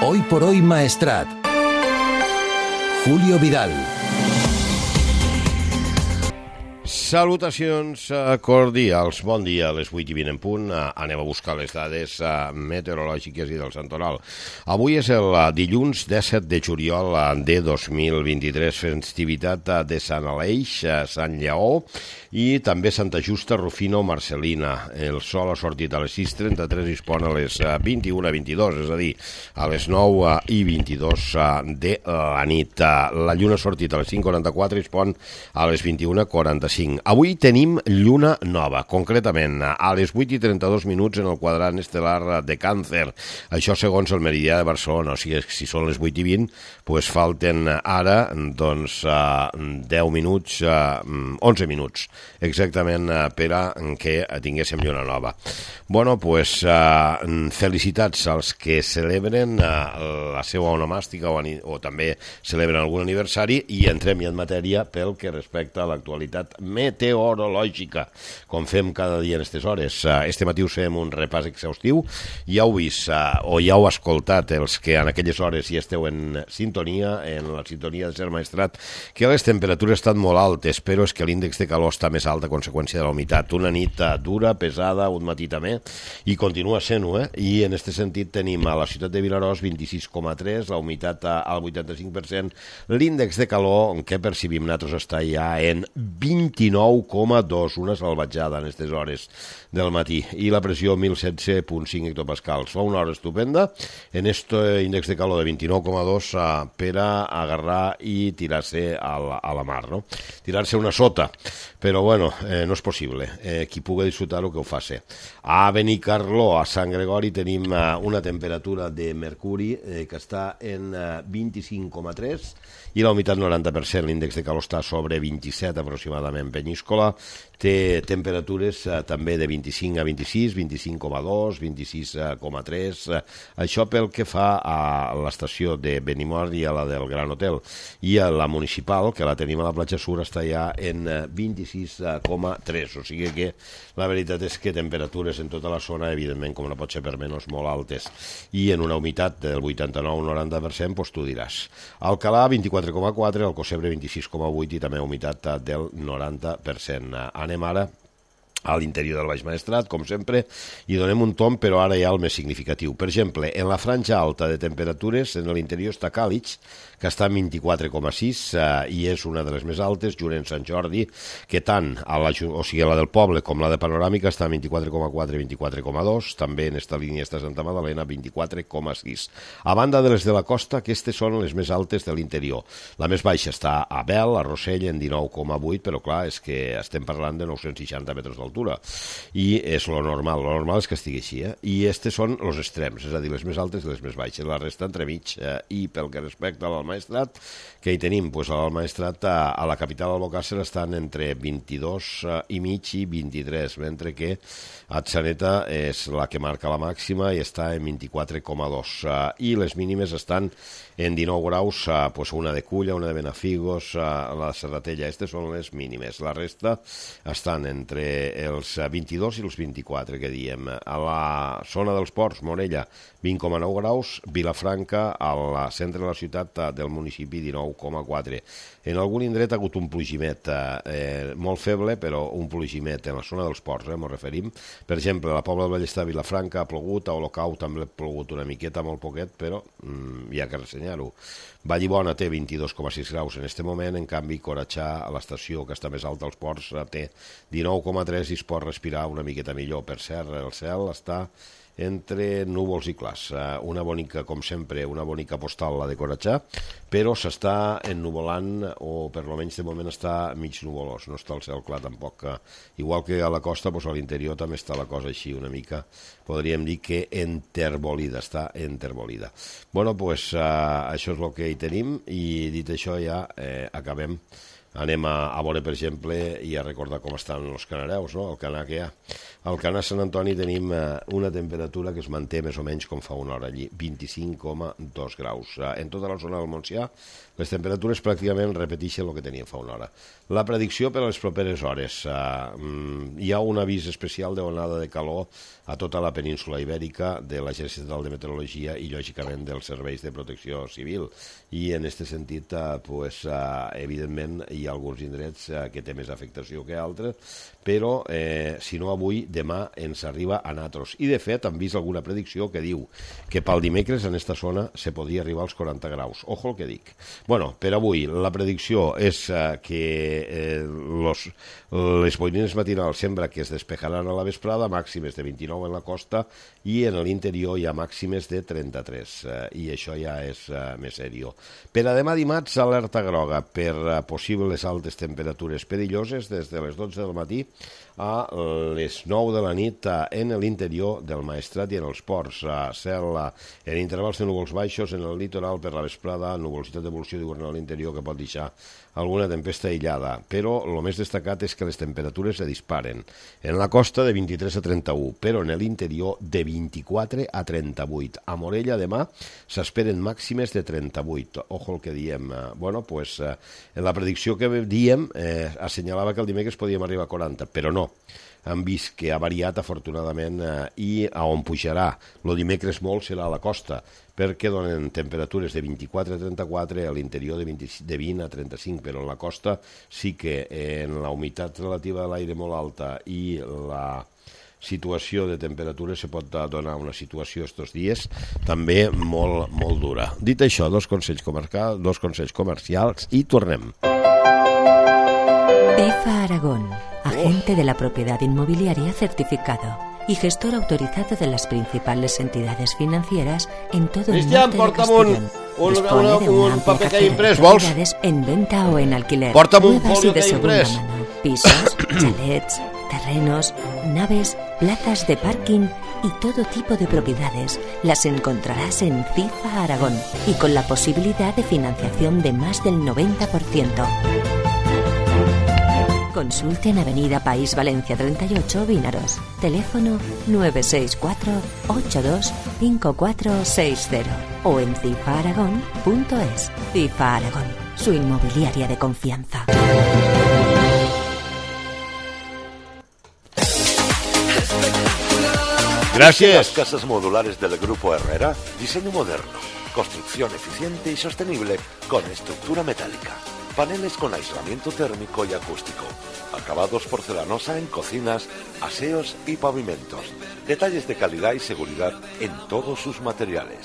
Hoy por hoy Maestrat. Julio Vidal. Salutacions cordials. Bon dia, a les 8:20 en punt. Anem a buscar les dades meteorològiques i del santoral. Avui és el dilluns 17 de juliol de 2023, festivitat de Sant Aleix, Sant Lleó i també Santa Justa, Rufino, Marcelina. El sol ha sortit a les 6:33 i es pon a les 21:22, és a dir, a les 9:22 de la nit. La lluna ha sortit a les 5:44 i es pon a les 21:45. Avui tenim lluna nova, concretament a les 8:32 en el quadrant estel·lar de Càncer. Això segons el meridià de Barcelona, o sigui, si són les 8:20, doncs falten ara 10 minuts, 11 minuts, exactament per a que tinguéssim lluna nova. Bueno, doncs felicitats als que celebren la seva onomàstica o també celebren algun aniversari i entrem ja en matèria pel que respecta a l'actualitat meteorològica, com fem cada dia en aquestes hores. Este matí us fem un repàs exhaustiu. Ja heu vist o ja heu escoltat els que en aquelles hores ja esteu en sintonia, en la sintonia de Ser Maestrat, que les temperatures estan molt altes, però és que l'índex de calor està més alt a conseqüència de la humitat. Una nit dura, pesada, un matí també, i continua sent-ho, I en aquest sentit tenim a la ciutat de Vinaròs 26,3, la humitat al 85%, l'índex de calor que percibim nosaltres està ja en 29,2, una salvatjada en aquestes hores del matí, i la pressió 1016,5 hectopascals. Fa una hora estupenda en este índex de calor de 29,2 per a agarrar i tirar-se a la mar, no? Tirar-se una sota, però bueno, no és possible. Qui pugui disfrutar-ho que ho faci. A Benicarló, a Sant Gregori, tenim una temperatura de mercuri que està en 25,3 i la humitat 90%, l'índex de calor està sobre 27 aproximadament. Penyíscola té temperatures també de 25 a 26, 25,2, 26,3, això pel que fa a l'estació de Benimor i a la del Gran Hotel. I a la municipal, que la tenim a la platja Sur, està ja en 26,3, o sigui que la veritat és que temperatures en tota la zona, evidentment, com no pot ser per menys, molt altes. I en una humitat del 89-90%, doncs tu diràs. Alcalà, 24,4, Alcocebre, 26,8 i també humitat del 90%. Anem ara a l'interior del Baix Maestrat, com sempre, i donem un tomb, però ara ja el més significatiu. Per exemple, en la franja alta de temperatures, en l'interior està Càlig, que està en 24,6 i és una de les més altes, junt en Sant Jordi, que tant la del Poble com la de Panoràmica està en 24,4 i 24,2, també en esta línia està Santa Madalena, 24,6. A banda de les de la costa, aquestes són les més altes de l'interior. La més baixa està a Bel, a Rossell, en 19,8, però clar, és que estem parlant de 960 metres d'altura, i és lo normal és que estigui així, I aquestes són els extrems, és a dir, les més altes i les més baixes, la resta entremig, i pel que respecta al Maestrat, que hi tenim? Doncs al Maestrat, a la capital d'Albocàsser, estan entre 22,5 i 23, mentre que Atzeneta és la que marca la màxima i està en 24,2. I les mínimes estan en 19 graus, doncs una de Culla, una de Benafigos, la Serratella, aquestes són les mínimes. La resta estan entre els 22 i els 24, que diem. A la zona dels ports, Morella, 20,9 graus, Vilafranca, al centre de la ciutat del municipi, 19,4. En algun indret ha hagut un plogimet molt feble, però un plogimet en la zona dels ports, ens referim. Per exemple, a la Pobla del Vallestà, Vilafranca, ha plogut, a Olocau també ha plogut una miqueta, molt poquet, però hi ha que ressenyar-ho. Vallibona té 22,6 graus en aquest moment, en canvi Coratxà, a l'estació que està més alta als ports, té 19,3 i es pot respirar una miqueta millor. Per cert, el cel està entre núvols i clars. Una bonica, com sempre, una bonica postal, la de Coratxà, però s'està ennuvolant, o per almenys de moment està mig nuvolós, no està el cel clar tampoc. Igual que a la costa, doncs a l'interior també està la cosa així una mica, podríem dir que enterbolida, està enterbolida. Bueno, doncs això és el que hi tenim, i dit això ja acabem Anem a veure, per exemple, i a recordar com estan els canareus, no? El canà que hi ha. Al canà Sant Antoni tenim una temperatura que es manté més o menys com fa una hora allí, 25,2 graus. En tota la zona del Montsià, les temperatures pràcticament repeteixen el que teníem fa una hora. La predicció per a les properes hores. Hi ha un avís especial d'onada de calor a tota la península ibèrica de l'Agència Estatal de Meteorologia i, lògicament, dels serveis de protecció civil. I, en aquest sentit, evidentment, hi ha alguns indrets que té més afectació que altres, però, si no avui, demà ens arriba a natros. I, de fet, han vist alguna predicció que diu que pel dimecres en esta zona se podria arribar als 40 graus. Ojo el que dic. Bueno, per avui, la predicció és que les boirines matinals sembla que es despejaran a la vesprada, màximes de 29 en la costa, i en l'interior hi ha màximes de 33, i això ja és més seriós. Per a demà dimarts, alerta groga per possibles altes temperatures perilloses des de les 12 del matí a les 9 de la nit en l'interior del Maestrat i en els ports. Cel en intervals de núvols baixos en el litoral per la vesprada, nuvolositat d'evolució diurna a l'interior que pot deixar alguna tempesta aïllada, però el més destacat és que les temperatures se disparen. En la costa de 23 a 31, però en l'interior de 24 a 38. A Morella demà s'esperen màximes de 38. Ojo el que diem. Bueno, pues, en la predicció que diem assenyalava que el dimecres podíem arribar a 40, però no. Han vist que ha variat, afortunadament, i a on pujarà el dimecres molt serà a la costa, perquè donen temperatures de 24 a 34, a l'interior de 20 a 35, però en la costa sí que en la humitat relativa de l'aire molt alta i la situació de temperatura se pot donar una situació estos dies també molt, molt dura. Dit això, dos consells comercials i tornem. EFA Aragón, agente de la propiedad inmobiliaria certificado y gestor autorizado de las principales entidades financieras en todo el norte de Castellón. Dispone de una amplia cartera de propiedades en venta o en alquiler, nuevas y de segunda mano, pisos, chalets, terrenos, naves, plazas de parking y todo tipo de propiedades. Las encontrarás en FIFA Aragón y con la posibilidad de financiación de más del 90%. Consulte en Avenida País Valencia 38, Vínaros. Teléfono 964-825460 o en cifaaragón.es. FIFA Aragón, su inmobiliaria de confianza. Gracias. Las casas modulares del Grupo Herrera, diseño moderno, construcción eficiente y sostenible con estructura metálica. Paneles con aislamiento térmico y acústico. Acabados porcelanosa en cocinas, aseos y pavimentos. Detalles de calidad y seguridad en todos sus materiales.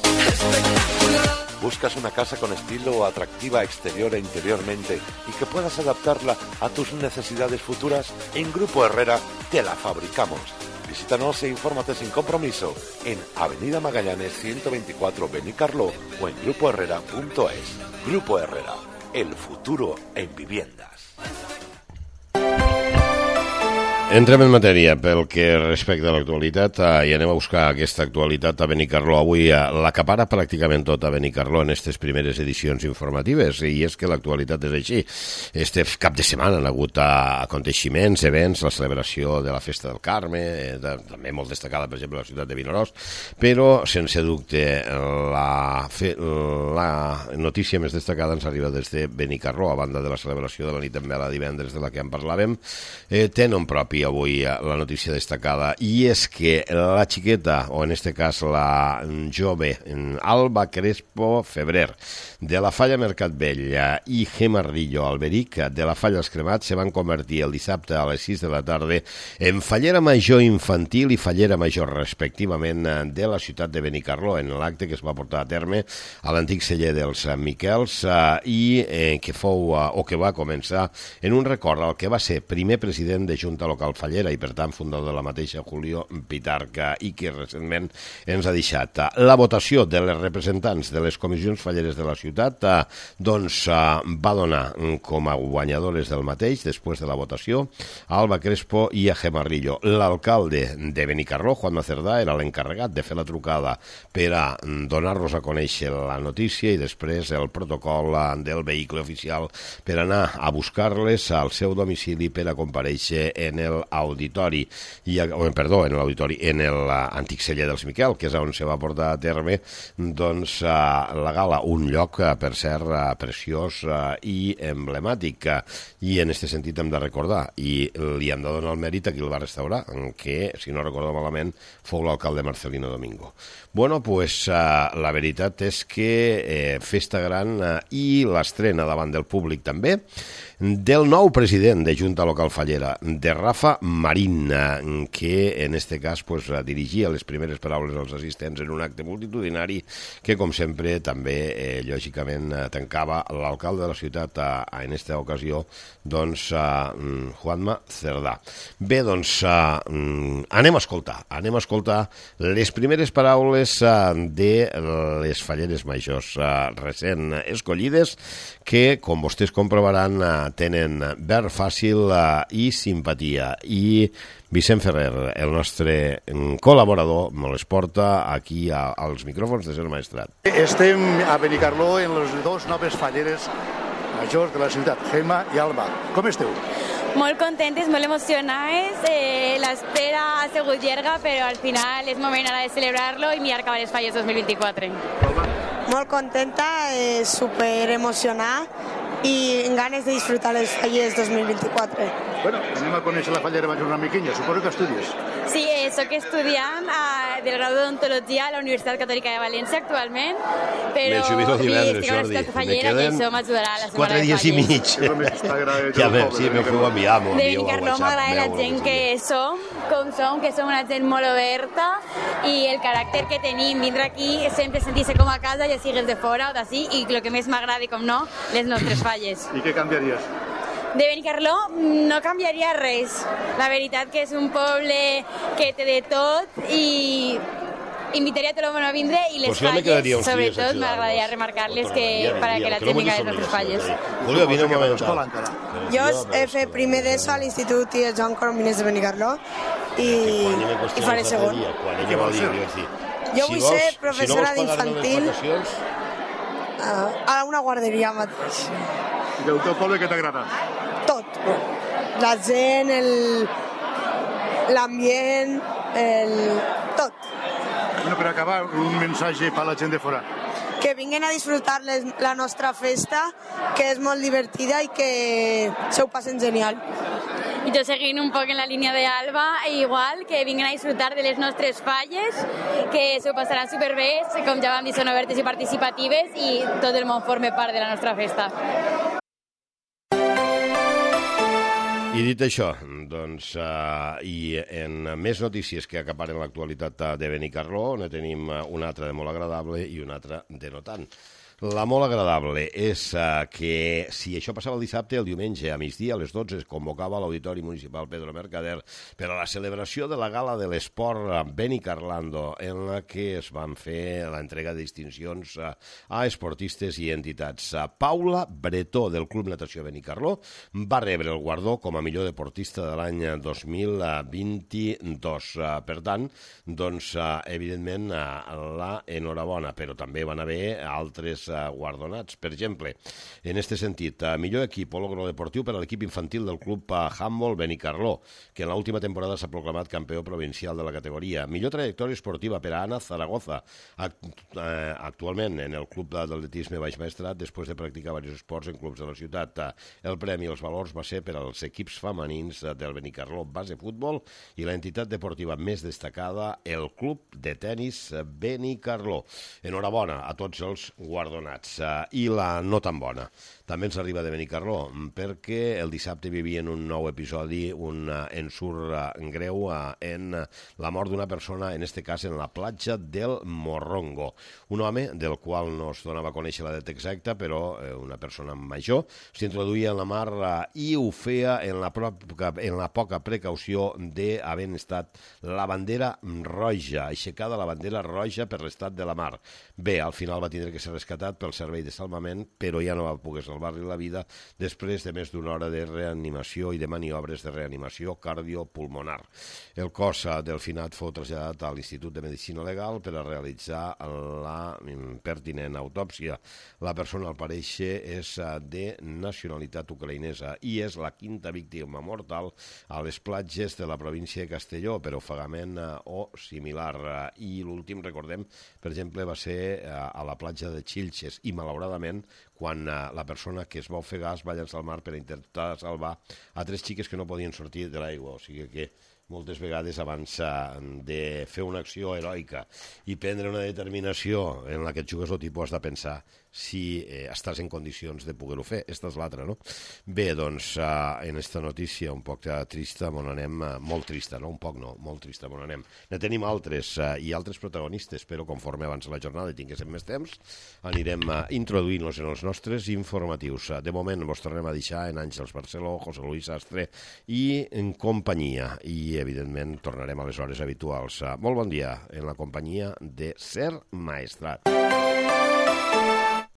¿Buscas una casa con estilo atractiva exterior e interiormente y que puedas adaptarla a tus necesidades futuras? En Grupo Herrera te la fabricamos. Visítanos e infórmate sin compromiso en Avenida Magallanes 124 Benicarló o en grupoherrera.es. Grupo Herrera. El futuro en viviendas. Entrem en matèria pel que respecta a l'actualitat i anem a buscar aquesta actualitat a Benicarló. Avui l'acapara pràcticament tot a Benicarló en aquestes primeres edicions informatives, i és que l'actualitat és així. Este cap de setmana han hagut aconteixements, events, la celebració de la Festa del Carme, també molt destacada, per exemple, a la ciutat de Vinaròs, però, sense dubte, la notícia més destacada ens arriba des de Benicarló, a banda de la celebració de la nit en vela divendres de la que en parlàvem. Té nom propi avui la notícia destacada, i és que la xiqueta, o en este cas la jove Alba Crespo Febrer, de la Falla Mercat Vell, i Gemma Rillo Alberic, de la Falla Els Cremats, se van convertir el dissabte a les 6 de la tarda en fallera major infantil i fallera major respectivament de la ciutat de Benicarló, en l'acte que es va portar a terme a l'antic celler dels Miquels, i que fou, o que va començar en un record al que va ser primer president de Junta Local local fallera i per tant fundador de la mateixa Julio Pitarca i que recentment ens ha deixat. La votació de les representants de les comissions falleres de la ciutat va donar com a guanyadores del mateix després de la votació a Alba Crespo i a Gemarrillo. L'alcalde de Benicarló, Juanma Cerdà, era l'encarregat de fer la trucada per a donar-nos a conèixer la notícia i després el protocol del vehicle oficial per anar a buscar-les al seu domicili per a comparèixer en l'auditori, en l'antic celler dels Miquel, que és on se va portar a terme la gala, un lloc, per cert, preciós i emblemàtic. I en aquest sentit hem de recordar, i li hem de donar el mèrit a qui el va restaurar, que, si no recordo malament, fou l'alcalde Marcelino Domingo. Bueno, pues la veritat és que festa gran i l'estrena davant del públic també del nou president de Junta Local Fallera, de Rafa Marín, que en este cas dirigia les primeres paraules als assistents en un acte multitudinari que, com sempre, també, lògicament, tancava l'alcalde de la ciutat en aquesta ocasió, Juanma Cerdà. Bé, anem a escoltar les primeres paraules de les falleres majors recent escollides que, com vostès comprovaran, tenen verd fàcil i simpatia. I Vicent Ferrer, el nostre col·laborador, me les porta aquí als micròfons de Ser Maestrat. Estem a Benicarló en les dues noves falleres majors de la ciutat, Gemma i Alba. Com esteu? Molt contentes, molt emocionades. L'espera ha sigut llarga, però al final és moment ara de celebrar-lo i mirar cap a les falles 2024. Molt contenta, super emocionada i amb ganes de disfrutar les falles 2024. Bueno, anem a conèixer la fallera major una miquinha. Suposo que estudies. Sí, soc estudiant del grau d'odontologia a la Universitat Catòlica de València actualment, però estic a la ciutat fallera i això m'ajudarà la setmana de falles. 4 dies i mig. Ja veus, sí, m'ho feu enviar. De Benicarló m'agrada la gent que som, que som una gent molt oberta i el caràcter que tenim, vindre aquí sempre sentir-se com a casa, ja sigues de fora o d'ací, i el que més m'agrada, com no, les nostres falles. I què canviaries? De Benicarló no canviaria res. La veritat que és un poble que té de tot i invitaria a tot el món a vindre i les falles, sobretot, m'agradaria remarcar-les per a que la gent vinga a les nostres falles. Julio, vine un moment. Jo he fet primer d'ESO a l'Institut i el Joan Coromines de Benicarló i faré segon. Jo vull ser professora d'infantil a una guarderia mateix. I del teu poble què t'agrada? Tot. La gent, l'ambient, tot. Bueno, per acabar, un missatge per la gent de fora. Que vinguin a disfrutar la nostra festa, que és molt divertida i que se ho passen genial. I jo seguint un poc en la línia d'Alba, igual, que vinguin a disfrutar de les nostres falles, que s'ho passaran superbé, com ja vam dir, són obertes i participatives i tot el món forma part de la nostra festa. I dit això, i en més notícies que acaparen l'actualitat de Benicarló, on tenim una altra de molt agradable i una altra de no tant. La molt agradable és que si això passava el dissabte, el diumenge a migdia a les 12 es convocava l'Auditori Municipal Pedro Mercader per a la celebració de la Gala de l'Esport Benicarlando, en la que es van fer l'entrega de distincions a esportistes i entitats. Paula Bretó, del Club Natació Benicarló, va rebre el guardó com a millor deportista de l'any 2022. Per tant, evidentment, la enhorabona, però també van haver altres guardonats. Per exemple, en este sentit, millor equip o logro deportiu per a l'equip infantil del Club Handball Benicarló, que en l'última temporada s'ha proclamat campió provincial de la categoria. Millor trajectòria esportiva per a Ana Zaragoza, actualment en el Club d'Atletisme Baix Maestrat, després de practicar diversos esports en clubs de la ciutat. El premi i els valors va ser per als equips femenins del Benicarló Base Futbol i l'entitat deportiva més destacada, el Club de Tenis Benicarló. Enhorabona a tots els guardonats perdonats. I la no tan bona també ens arriba de Benicarló, perquè el dissabte vivien un nou episodi, un ensurt greu en la mort d'una persona, en este cas en la platja del Morrongo. Un home del qual no es donava a conèixer la data exacta, però una persona major, s'introduïa en la mar i ho feia en la poca precaució d'haver estat la bandera roja, aixecada la bandera roja per l'estat de la mar. Bé, al final va tindre que ser rescatat pel servei de salvament, però ja no va poder salvar-li la vida després de més d'una hora de reanimació i de maniobres de reanimació cardiopulmonar. El cos del finat fou traslladat a l'Institut de Medicina Legal per a realitzar la pertinent autòpsia. La persona, al pareixer, és de nacionalitat ucraïnesa i és la quinta víctima mortal a les platges de la província de Castelló per ofegament o similar. I l'últim, recordem, per exemple, va ser a la platja de Xilxes i, malauradament, quan la persona que es va ofegar es va llançar al mar per intentar salvar a 3 xiques que no podien sortir de l'aigua. O sigui que moltes vegades abans de fer una acció heroica i prendre una determinació en la que et jugues el tipus has de pensar si estàs en condicions de poder-ho fer. Esta és l'altra, no? Bé, doncs, en esta notícia un poc trista, on anem, molt trista, no? Un poc no, molt trista, on anem. Ne tenim altres i altres protagonistes, però conforme avança la jornada i tinguéssim més temps, anirem introduint-los en els nostres informatius. De moment vos tornem a deixar en Àngels Barceló, José Luis Astre i en companyia, i evidentment tornarem a les hores habituals. Molt bon dia en la companyia de Ser Maestrat.